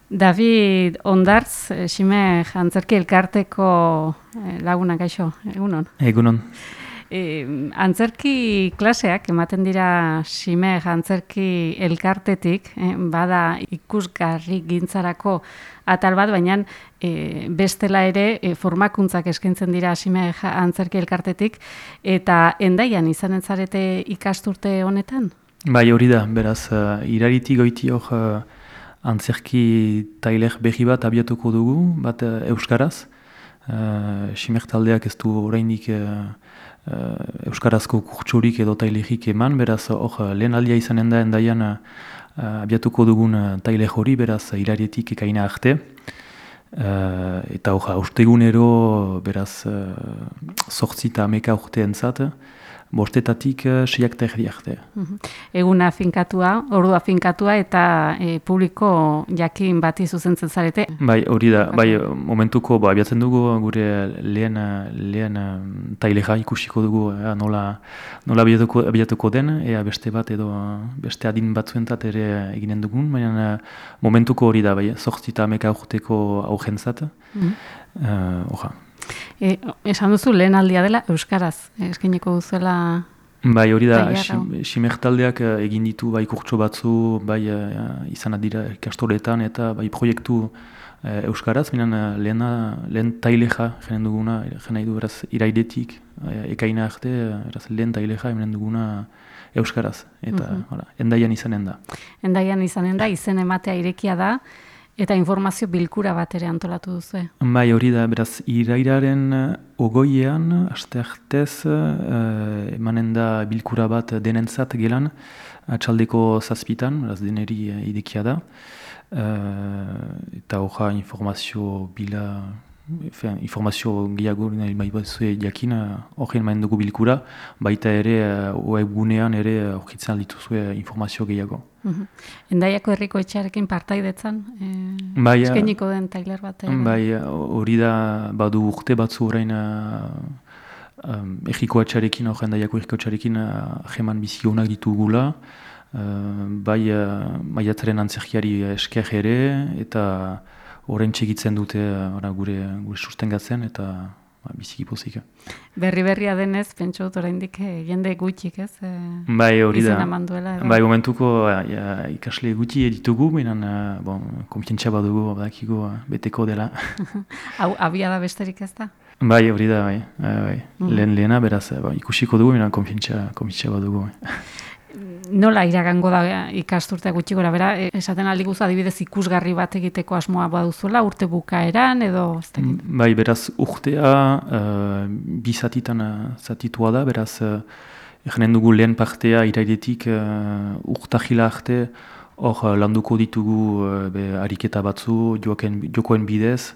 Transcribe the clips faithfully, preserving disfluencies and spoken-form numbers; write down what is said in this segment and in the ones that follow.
David Ondartz, eh, Xime Antzerki Elkarteko eh, laguna gaixo, egunon. Egunon. E, antzerki klaseak ematen dira Xime Antzerki Elkartetik, eh, bada ikusgarri gintzarako atal bat, baina e, bestela ere e, formakuntzak eskaintzen dira Xime Antzerki Elkartetik, eta Hendaian izanen zarete ikasturte honetan? Bai, hori da, beraz, uh, iraritik goiti hor uh, antzerki tailer berri bat abiatuko dugu, bat uh, euskaraz. Uh, Ximer taldeak ez du oraindik uh, uh, euskarazko kurtsorik edo tailerik eman, beraz, hor uh, lehen aldia izanen da Hendaian uh, abiatuko dugun uh, tailer hori, beraz, iraritik ekaina arte. Uh, eta hor, austegunero, beraz, uh, zortzi eta ameka urte entzat, bostetatik uh, seiak terdi arte. Uh-huh. Eguna finkatua, ordua finkatua eta e, publiko jakin bati zuzentzen zarete. Bai, hori da, bai, momentuko ba, abiatzen dugu gure lehen, lehen tailera ikusiko dugu ea, nola, nola abiatuko, abiatuko den, ea beste bat edo beste adin batzuentzat ere eginen dugun, baina momentuko hori da, bai, zortzi eta ameka urteko aurrentzat. Uh-huh. uh, Oja. E, esan duzu lehen aldia dela euskaraz, eskainiko duzuela. Bai, hori da, Ximer taldeak egin ditu bai kurtso batzu, bai izan dira ikastoletan eta bai proiektu e, euskaraz, minan lehena, lehen taileja jenen duguna, jena idu beraz iraidetik, e, ekaina arte, beraz lehen taileja jenen duguna euskaraz, eta uh-huh. Hala, Hendaian izanen da. Hendaian izanen da, izen ematea irekia da, eta informazio bilkura bat ere antolatu duzu. Bai, hori da, beraz, irairaren ogoiean, aste artez, uh, emanen da bilkura bat denentzat gelan, atxaldeko zazpitan, beraz, deneri idekia da. Uh, eta hoja informazio bila, Efen, informazio gehiago nahi bai batzue jakin horren maen dugu bilkura, baita ere webgunean ere horkitzen dituzue informazio gehiago. Uh-huh. Hendaiako herriko etxearekin partaidetzan, e, bai, eskeniko den tailer bat? Ere. Bai, hori da badu urte batzu orain uh, um, erriko etxearekin, hor Hendaiako erriko etxearekin uh, jeman bizionak ditugula, uh, bai uh, maiatzaren antzerkiari esker ere, eta orain txegitzen dute ora, gure, gure sustengatzen eta ba, biziki pozik. Berri-berria denez, pentsu dut oraindik jende gutxik, ez? E, bai, hori da. Manduela, bai, momentuko ja, ikasle gutxi ditugu, baina bon, konfientzia badugu, badakigu beteko dela. Hau, abia da besterik ez da? Bai, hori da, bai. bai. Mm. Lehen lehena, beraz, ba, ikusiko dugu, baina konfientzia, konfientzia badugu. Nola iragango da ikasturtea gutxi gora, bera, esaten aldi guzu adibidez ikusgarri bat egiteko asmoa baduzuela, urte bukaeran edo? Bai, beraz, urtea uh, bi zatitan zatitua da, beraz, uh, egenen dugu lehen partea iraidetik uh, urtahila arte, hor uh, landuko ditugu uh, be, ariketa batzu, joken, jokoen bidez,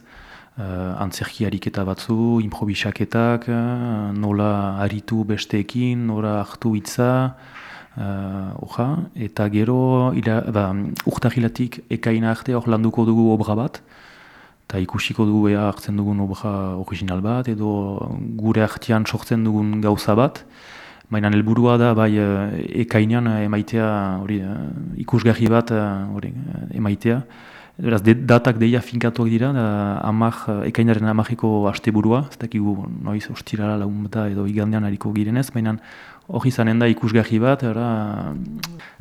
uh, antzerki ariketa batzu, improvisaketak, uh, nola aritu besteekin, nola hartu hitza, Uh, oja, eta gero ba, urtahilatik ekaina arte hor landuko dugu obra bat, eta ikusiko dugu ea hartzen dugun obra original bat, edo gure artean sortzen dugun gauza bat, baina helburua da bai ekainan emaitea hori ikusgarri bat hori emaitea. Beraz, datak deia finkatuak dira, da, amak, ekainaren amakeko asteburua, ez dakigu noiz ostirala lagun bata edo igandean hariko girenez, baina hori izanen da ikusgarri bat,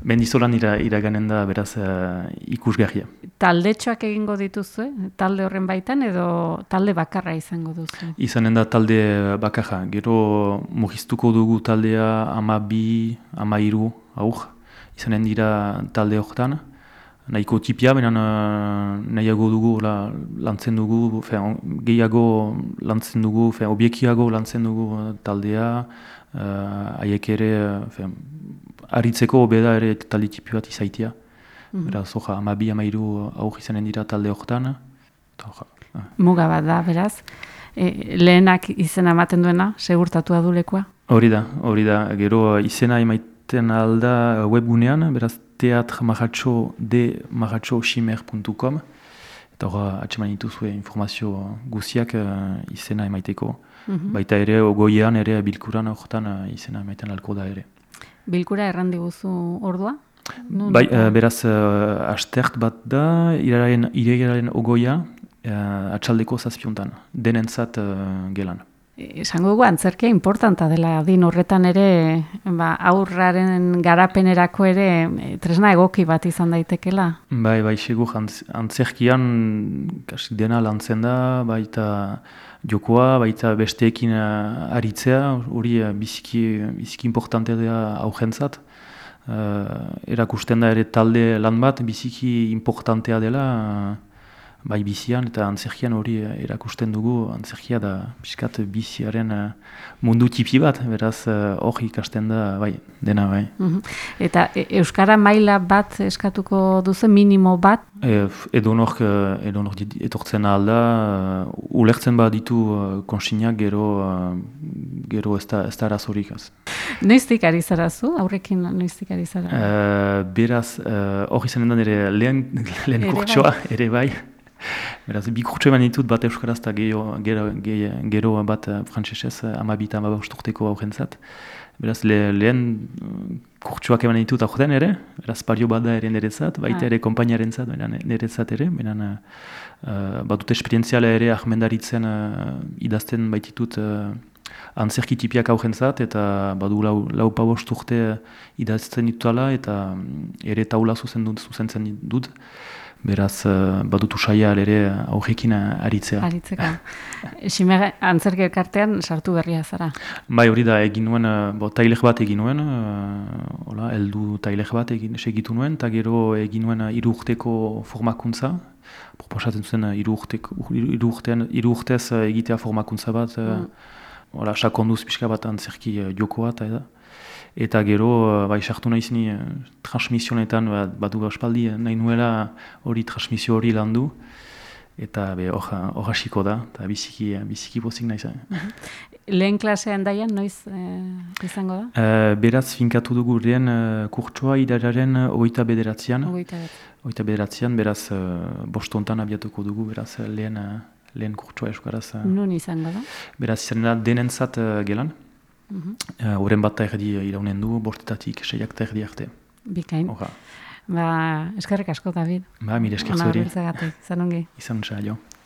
mendizolan ira, iraganen da beraz uh, ikusgarria. Taldetxoak egingo dituzu, talde horren baitan edo talde bakarra izango duzu? Izanen da talde bakarra, gero mugiztuko dugu taldea ama bi, ama hiru, aur, izanen dira talde horretan. Nahiko tipia, baina nahiago dugu la, lantzen dugu, fe, gehiago lantzen dugu, fe, obiekiago lantzen dugu taldea, haiek uh, ere, fe, aritzeko obeda ere talde tipi bat izaitia. Mm-hmm. Beraz, oja, ama bi, ama hiru aur izanen dira talde horretan. Uh. Muga bat da, beraz. E, lehenak izena ematen duena, segurtatua du lekua? Hori da, hori da. Gero izena emaiten alda webgunean, beraz, teatr maratxo de maratxo ximer puntu com eta hori atseman dituzue informazio guziak uh, izena emaiteko. Mm-hmm. Baita ere, ogoian ere bilkuran horretan uh, izena emaiten alko da ere. Bilkura errandi guzu ordua? Non, Bai, eta- uh, beraz, uh, astert bat da, iraren, irearen ogoia, uh, atxaldeko zazpiontan, denentzat uh, gelan. Esango dugu antzerkia importanta dela adin horretan ere, ba, aurraren garapenerako ere e, tresna egoki bat izan daitekela. Bai, bai, segur, antz, antzerkian kasi dena lantzen da, baita jokoa, baita besteekin uh, aritzea, hori uh, biziki, biziki importantea da aurrentzat. Uh, erakusten da ere talde lan bat, biziki importantea dela, uh, bai bizian eta antzerkian hori erakusten dugu, antzerkia da pixkat biziaren uh, mundu tipi bat, beraz hori uh, ikasten da, bai, dena bai. Mhm. Eta e, Euskara maila bat eskatuko duzu, minimo bat? E, edonork edonor etortzen ahal da, uh, ulertzen bat ditu uh, konsignak gero, uh, gero ez da, ez da arazorik az. Noiztik ari zara zu? Aurrekin noiztik ari zara? Uh, beraz, hori uh, izanen da nire lehen, lehen Ere kurtsoa, ere bai. Beraz, bi kurtso eman ditut bat euskaraz eta gero, gero, gero bat frantsesez amabita amabost urteko aurrentzat. Beraz, le, lehen kurtsoak eman ditut aurten ere, beraz, pario bat da ere nerezat, baita Ah. ere kompainaren zat, nerezat ere, benen uh, bat dut esperientziala ere ahmendaritzen uh, idazten baititut uh, antzerki tipiak aurrentzat, eta badu lau, lau pabost urte idazten ditutala, eta um, ere taula zuzen dut, zuzentzen dut. Beraz, uh, badut usaia ere aurrekin aritzea. Aritzeka. Xime antzerki elkartean sartu berria zara. Bai, hori da, egin nuen, bo, tailer bat egin nuen, uh, hola, heldu tailer bat egin segitu nuen, eta gero egin nuen hiru urteko formakuntza. Proposatzen zuen hiru urtez egitea formakuntza bat, mm. uh, hola, sakonduz pixka bat antzerki uh, jokoa, eta eda. Eta gero, bai, sartu nahi zini uh, transmisionetan, bat, batu gaspaldi nahi nuela hori transmisio hori landu. Eta hor hasiko da, eta biziki, biziki pozik nahi zen. Lehen klasean daian, noiz eh, izango da? Uh, beraz, finkatu dugu lehen uh, kurtsoa idararen ogeita bederatzean. Ogeita bederatzean, beraz, uh, bostontan abiatuko dugu, beraz, lehen, uh, lehen kurtsoa euskaraz. Uh, Nun izango da? Beraz, izan da denentzat uh, gelan. Horren uh, bat erdi iraunen du, bostetatik, seiak eta erdi arte. Bikain. Oha. Ba, eskerrik asko, David. Ba, mire esker zuri. Ona, izan ongi. Izan, jo.